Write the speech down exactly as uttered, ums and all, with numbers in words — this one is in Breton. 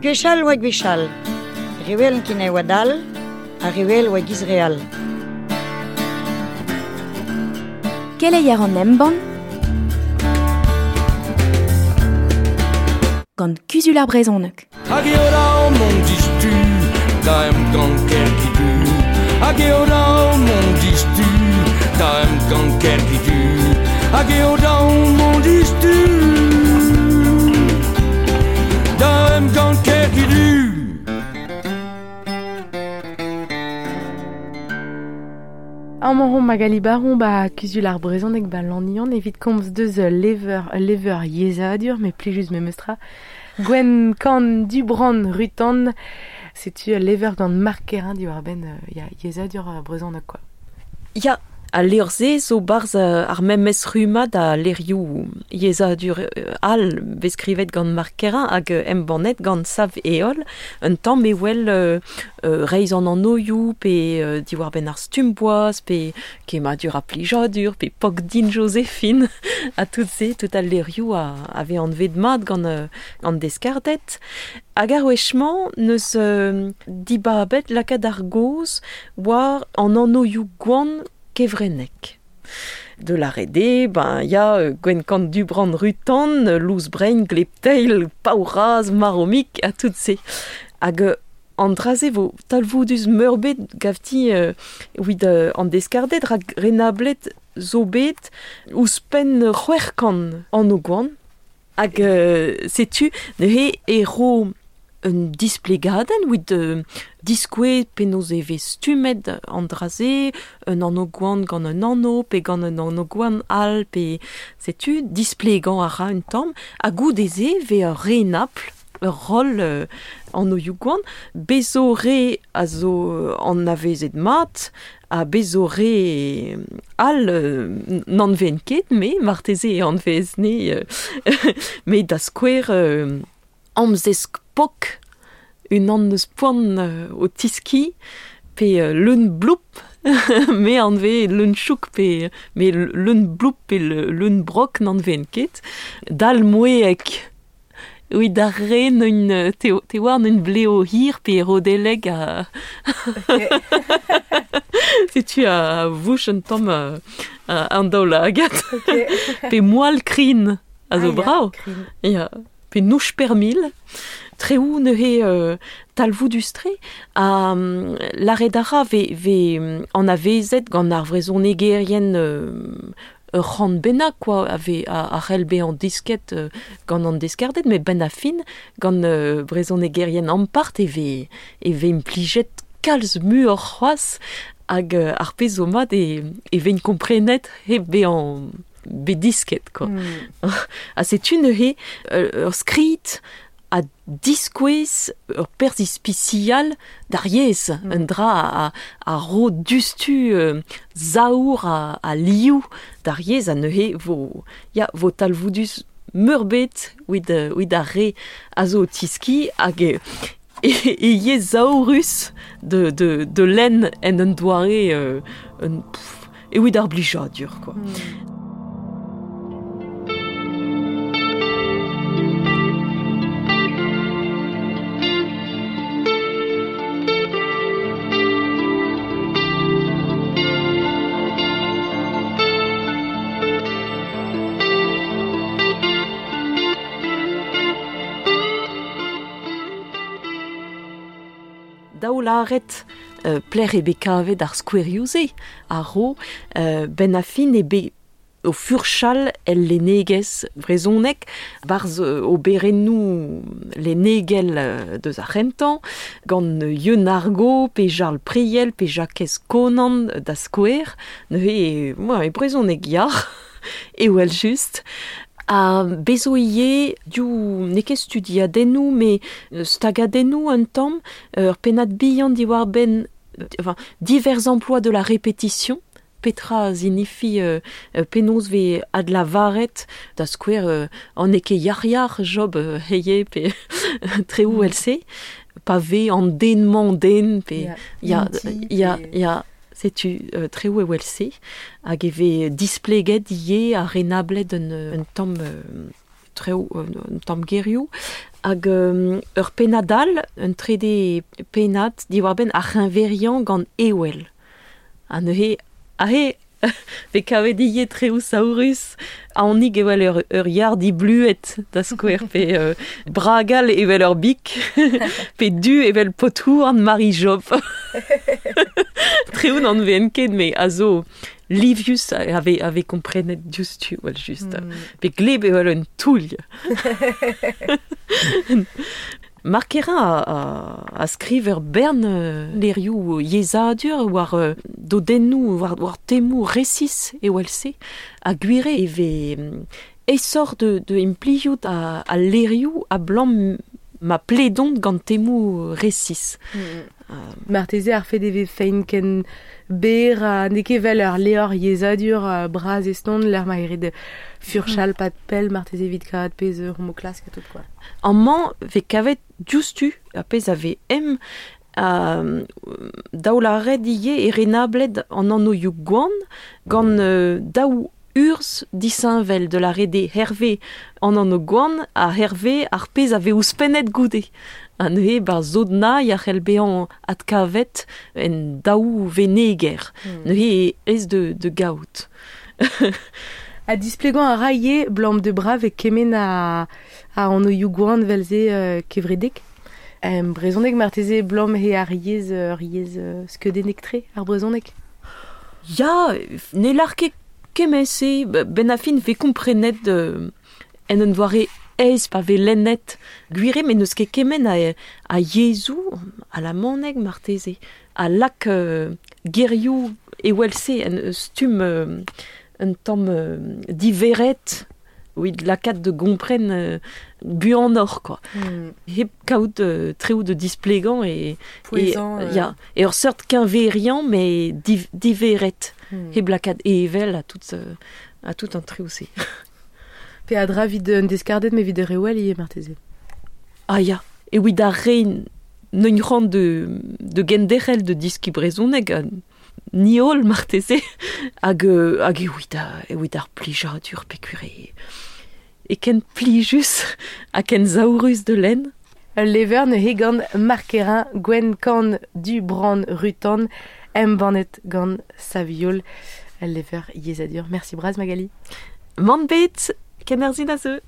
Gwechall oa gwechall, rewel kin e oa dal, ha rewel oa giz real. Keleier an embann gant Kuzul ar Brezhoneg. Hag eo da mont distu, da em gant kerki du. Hag eo da mont distu, da em gant kerki du. Hag eo da mont distu, da em gant kerki du. Amañ hon Magali Baron ba Kuzul ar Brezhoneg ba Lannion evit komz deus lever lever yezhadur me plijus memestra Gwen Kan Dubran Rutan setu lever gant Marc Kerrain diwar benn ya yezhadur brezhoneg quoi. Ya a levr-se zo barzh ar memes rummad a levrioù yezhadur all bet skrivet gant Marc Kerrain hag embannet gant Sav Heol un tamm e wel euh, reizh an annoioù pe euh, diwar benn ar stumm-boaz pe kemmadur ha plijadur pe pok din Joséphine ha tout se tout al levrioù a ave anvet mat gant euh, an deskardet. Hag ar wech-mañ neus euh, dibabet lakaat ar gaoz war an annoioù gwan kevrennek. De la rede, ben ya euh, Gwen Kan Dubran Rutan, Lous Brein, Glepteil, Paouraz, Maromik, a tout se. Hag euh, an draze vo talvoudus meurbet gavti euh, wid euh, an deskardet rak renablet zo bet ouzhpenn c'hwec'h kant an o gwan. Hag euh, setu neuze e ro un displegadenn wid euh, diskouez penaos e vez stummet an draze, un anv gwan gant un anv, pe gant un anv gwan all, pe setu displegañ a ra un tamm, ha goude-se vez ur renabl, ur roll euh, anvioù gwan, bezo re a zo an avezet mat, ha bezo re all euh, n'an ven ket, me marteze e anvez ne, euh, me da skouer euh, amzesk pok un an eus poan euh, o tiski pe euh, leun bloup me anve leun chouk pe me leun bloup pe leun brok n'an ven ket dal moeek oui da re un te, te war un bleo hir pe rodeleg a okay. Setu a vouch un tamm uh, an daol agat okay. Pe moal krin a zo ah, brao ya, ya pe nouch per mil, treou neuze euh, talvoudus-tre, ha um, l'aret ara ve, ve an avezet gant ar vrezhonegerien euh, ur c'hant bennak quoi, ave a, a c'hell bezañ disket euh, gant an deskardet, met benn a fin gant euh, brezhonegerien ampart e ve, e ve implijet kalz muioc'h c'hoazh hag euh, ar pezh zo mat e, e vein komprenet hep bezañ bet disket quoi. Mm. Ha setu neuze ur skrid a diskouez ur perzh ispisial d'ar yezh, mm. un dra a, a ro dustu euh, zaour a, a liou d'ar yezh a neuze vo, ya, vo talvoudus meurbet wid, wid ar re a zo tiski hag e, e, e yezh zaourus de, de, de lenn en un doare euh, un, pff, e wid ar blijadur quoi. Mm. Daou lâret euh, pler e bet kavet ar skouerioù-se a ro euh, ben a fin e bet o furchal el lennegezh brezhoneg barzh o berennoù lennegel deus ar c'hentañ gant Yeun ar Gow pe Jarl Priel pe Jakez Konan da skouer neuze moi e brezhoneg yar e wel just. A bezo ivez div n'eo ket studiadennoù me stagadennoù un tamm ur pennad bihan diwar-benn enfin, divers emplois de la répétition petra zinifi euh, penaos vez adlavaret da skouer euh, an eo ket yar-yar job euh, heie pe treoù else pa vez an den-mañ den pe ya ya ya setu euh, treoù e wel-se hag e vez displeget ivez ha renablet un, un tamm euh, treo un tamm gerioù, hag um, ur pennad all, un trede pennad diwar-benn ar c'heñveriañ gant Ewel. Ha neuze, ahe, ve kavet ivez treoù saourus, aonik evel ur, ur yar dibluet da skouer, pe euh, bragal evel ur bik, pe du evel potouarn Marie Job. Treoù n'an veen ket, me a zo livius ave, ave komprenet diouzhtu, well just. Mm. Pe gleb evel un toull. Marc Kerrain a, a, a skriv ur bern euh, lerioù yezhadur war euh, dodennoù, war, war temoù resis e se, a gwire e ve esor de, de impliout a, a lerioù a blam ma pledont gant temoù resis. Mm. Uh, Marteze ar fet e ve fein ken ber a n'eo ket vel ur leor yezhadur uh, braz eston l'er ma eret furchal mm. pat pell marteze evit kavat pezh ur mo klask a tout quoi. Amañ ve kavet diouzhtu a pezh a ve em uh, daou lâret ivez e renabled an anvioù gwan gant uh, daou urzh disheñvel de la rede Hervé an anv gwan ha Hervé ar pezh a ve ouzhpennet goude. Ha neuze bar zodna ya c'hell bezañ adkavet en daou veneger. Mm. Neuze ez de, de gaout. A displegañ a ra ivez blam de brav e kement a, a anvioù gwan vel-se euh, kevredek. Um, brezhoneg marteze blam he ar yezh ur yezh uh, skeudennek-tre ar brezhoneg. Ya, ne lar ket kement-se, ben a fin ve komprenet euh, en un doare aes pa ve lennet gwire, met n'eus ket kement a, a yezhoù, a la maneg marteze, a lak euh, gerioù evel-se en stumm euh, un tamm euh, diveret evit lakaat de gompren euh, buanoc'h quoi. Mm. Hep kaout euh, treoù de displegañ e Pouezan, e, euh... ya, e ur seurt keñveriañ mais div, diveret. Mm. Hep lakaat evel a tout, euh, a tout an treoù-se. Pe a dra vid un deskardet me vid rewel ivez marteze. Ah ya, e evit ar re n'eun c'hoant de, de genderc'hel de diski brezhoneg ni holl marteze hag, hag evit a, evit ar plijadur peogwir e, e ken plijus ha ken saourus de lenn. Ul lever neuze gant Marc Kerrain, Gwenn Kan du Brand Rutan, embannet gant Saviol, ul lever yezhadur. Merci bras Magali. Mann bet, kenerzhin a zeu.